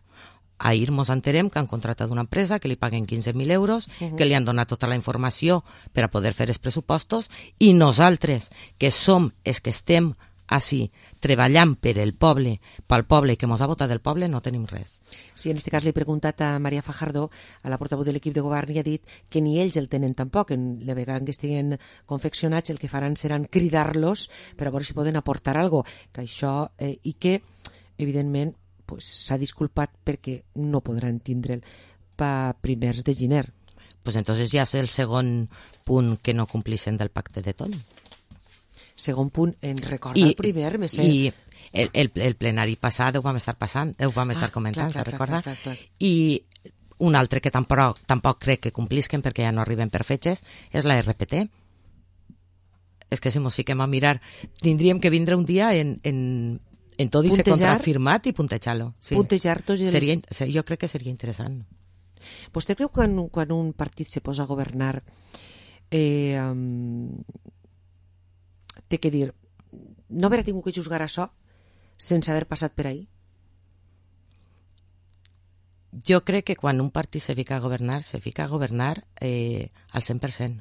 Ahir mos enterem que han contratat una empresa que li paguen quinze mil euros, uh-huh. que li han donat tota la informació per a poder fer els pressupostos, i nosaltres, que som els que estem així, treballant per el poble, pel poble que mos ha votat el poble, no tenim res. Sí, en aquest cas l'he preguntat a Maria Fajardo, a la portaveu de l'equip de govern, i ha dit que ni ells el tenen tampoc. En la vegada que estiguen confeccionats, el que faran seran cridar-los per a veure si poden aportar alguna cosa, que això, eh, i que, evidentment, pues, s'ha disculpat perquè no podran tindre'l per primers de gener. Pues entonces ja és el segon punt que no complixen del pacte de Tol. Segon punt, en recorda I, el primer, me sé. I el, el, el plenari passat ho vam estar passant, ho vam estar ah, comentant, clar, se recorda? Clar, clar, clar. I un altre que tampoc, tampoc crec que complisquen perquè ja no arriben per fetges és la R P T. És que si mos fiquem a mirar, tindríem que vindre un dia en, en, en tot i ser contract firmat i puntejar-lo. Sí. Puntejar tots els... Seria, jo crec que seria interessant. Vostè creu que quan, quan un partit se posa a governar eh, um, té que dir no haver tingut que juzgar això sense haver passat per ahí? Jo crec que quan un partit se fica a governar, se fica a governar eh, al cent per cent.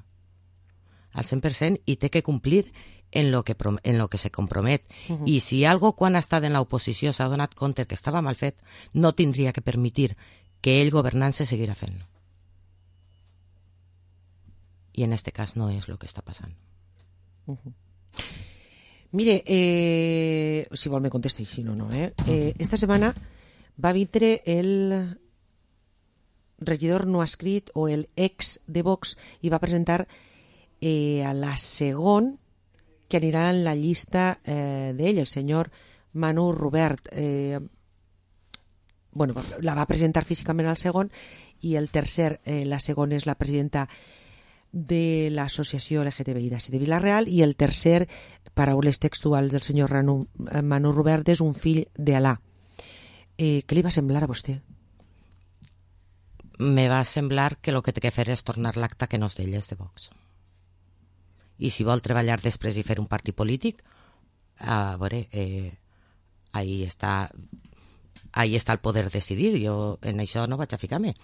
Al cent per cent i té que complir en lo que, en lo que se compromet. Uh-huh. I si algo quan ha estat en l'oposició s'ha donat compte que estava mal fet, no tindria que permetir que ell governant se seguirà fent. I en este cas no és el que està passant. Uh-huh. Mire, eh, si vol me contesta i si no, no. Eh? Eh, esta setmana va vindre el regidor no escrit o el ex de Vox i va presentar eh, a la segon que anirà en la llista eh, d'ell, el senyor Manu Rubert. Eh, bueno, la va presentar físicament al segon i el tercer, eh, la segona és la presidenta de l'associació L G T B I de Vila-real i el tercer, paraules textuals del senyor Manu, Manu Rubert, és un fill d'Alà. Eh, què li va semblar a vostè? Me va semblar que el que té que fer és tornar l'acte que no és d'ell, és de Vox. I si vol treballar després i fer un partit polític, a veure, eh, ahí està, ahí està el poder decidir. Jo en això no vaig a ficar-me.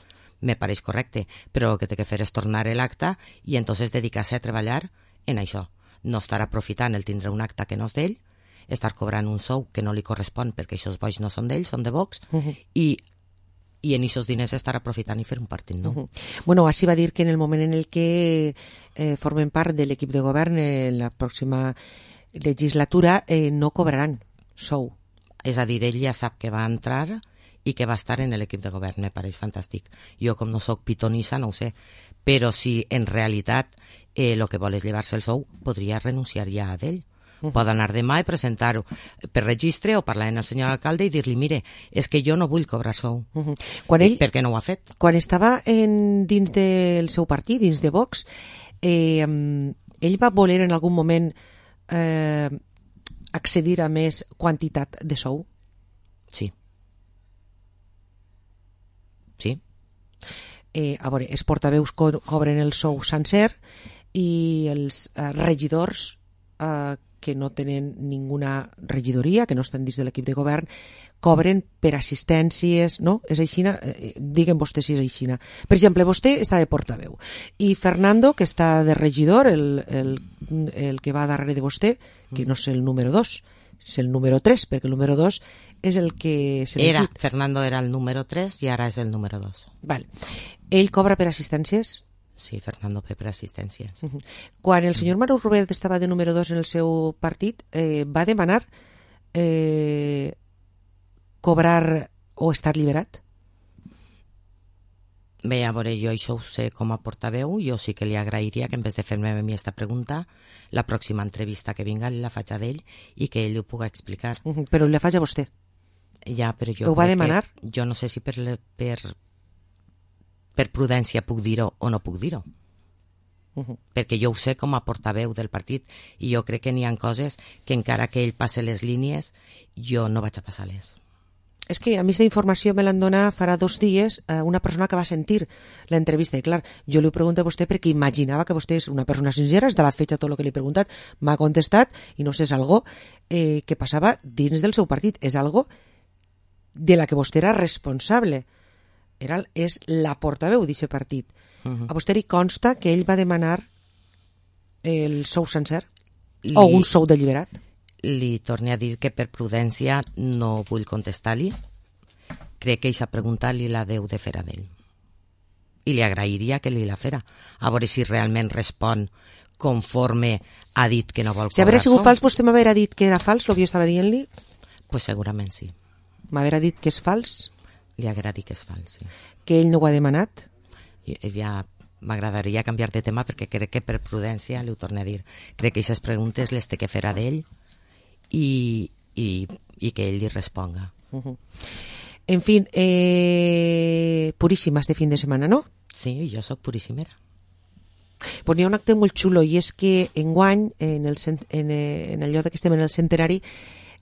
Me pareix correcte, però el que té que fer és tornar l'acte i entonces dedicar-se a treballar en això. No estar aprofitant el tindre un acte que no és d'ell, estar cobrant un sou que no li correspon perquè aquests boix no són d'ell, són de Vox, uh-huh. i, i en aquests diners estar aprofitant i fer un partit nou. Uh-huh. Bueno, així va dir que en el moment en el que eh, formen part de l'equip de govern en la pròxima legislatura eh, no cobraran sou. És a dir, ell ja sap que va entrar i que va estar en l'equip de govern, me pareix fantàstic. Jo, com no sóc pitonissa, no ho sé, però si en realitat el eh, que vol és llevar-se el sou, podria renunciar ja a d'ell. Uh-huh. Pot anar demà i presentar-ho per registre o parlar amb el senyor alcalde i dir-li, mire, és que jo no vull cobrar sou. Uh-huh. Quan ell, per què no ho ha fet? Quan estava en, dins del seu partit, dins de Vox, eh, ell va voler en algun moment eh, accedir a més quantitat de sou? Sí. Sí. Eh, a veure, els portaveus co- cobren el sou sencer i els eh, regidors eh, que no tenen ninguna regidoria, que no estan dins de l'equip de govern, cobren per assistències, no? És aixina? Eh, diguen vostè si és aixina. Per exemple, vostè està de portaveu i Fernando, que està de regidor, el, el, el que va darrere de vostè, que no és el número dos, és el número tres, perquè el número dos és el que se era, Fernando era el número tres i ara és el número dos. Val. Ell cobra per assistències? Sí, Fernando ve per assistències. Uh-huh. Quan el senyor Manu Rubert estava de número dos en el seu partit, eh, va demanar eh, cobrar o estar liberat? Bé, a veure, jo això ho sé com a portaveu, jo sí que li agrairia que en vez de fer-me a mi aquesta pregunta, la pròxima entrevista que vinga la faig a d'ell i que ell ho pugui explicar. Uh-huh. Però la faig a vostè? Ja, però jo ho va demanar? Jo no sé si per, per, per prudència puc dir-ho o no puc dir-ho. Uh-huh. Perquè jo ho sé com a portaveu del partit i jo crec que n'hi ha coses que encara que ell passe les línies, jo no vaig a passar-les. És que a mi aquesta informació me l'han donat farà dos dies eh, una persona que va sentir l'entrevista i clar, jo li ho pregunto a vostè perquè imaginava que vostè és una persona sincera, és de la fetge tot el que li he preguntat, m'ha contestat i no sé, és algo eh, que passava dins del seu partit, és algo de la que vostè era responsable, era, és la portaveu d'aquest partit. Uh-huh. A vostè li consta que ell va demanar el sou sencer li... o un sou deliberat? Li torne a dir que per prudència no vull contestar-li. Crec que aquesta pregunta li la deu de fer a d'ell. I li agrairia que li la fera. A veure si realment respon conforme ha dit que no vol cobrar. Si hagués sigut fals, vostè m'haurà dit que era fals el que jo estava dient-li? Pues segurament sí. M'haurà dit que és fals? Li haurà dit que és fals, sí. Que ell no ho ha demanat? I, ja m'agradaria canviar de tema perquè crec que per prudència li ho torno a dir. Crec que aquestes preguntes les té que fer a d'ell I, i, i que ell li responga. Uh-huh. En fin, eh, puríssima este fin de setmana, ¿no? Sí, jo sóc puríssimera. Pues n'hi ha un acte molt xulo i és que enguany, en el, en, en el lloc que estem en el centenari,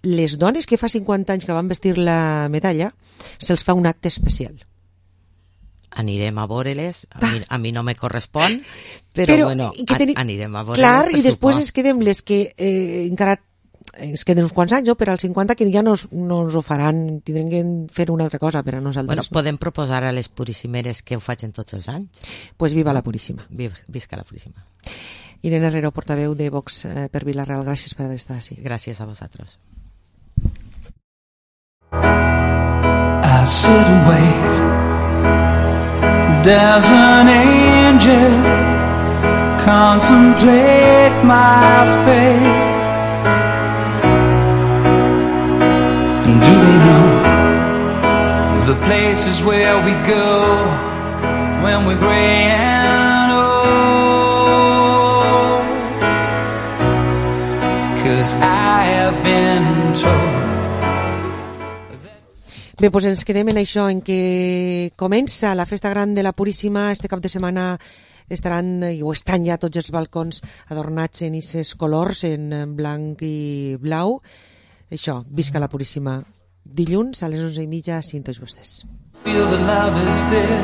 les dones que fa cinquanta anys que van vestir la medalla se'ls fa un acte especial. Anirem a veure-les, a, mi, a mi no me correspon, però, però bueno, teni... anirem a veure-les. Clar, i després es quedem les que eh, encara ens queden uns quants anys, no? Per als cinquanta que ja no, no ens ho faran, tindrem que fer una altra cosa per a nosaltres. Bueno, podem proposar a les Puríssimeres que ho facin tots els anys. Doncs pues viva la Puríssima. Viva, visca la Puríssima. Irene Herrero, portaveu de Vox eh, per Vila-real, gràcies per haver estat així. Gràcies a vosaltres. I sit and wait. Does an angel contemplate my fate? And do they know the places where we go when we're gray and old? 'Cause I have been told. Bé, doncs ens quedem en això, en què comença la festa gran de la Puríssima. Este cap de setmana estaran, i ho estan ja tots els balcons adornats en aquests colors, en blanc i blau. Això, visca la Puríssima. Dilluns a les onze i mitja, cinc tots vostès. Feel the love is dead.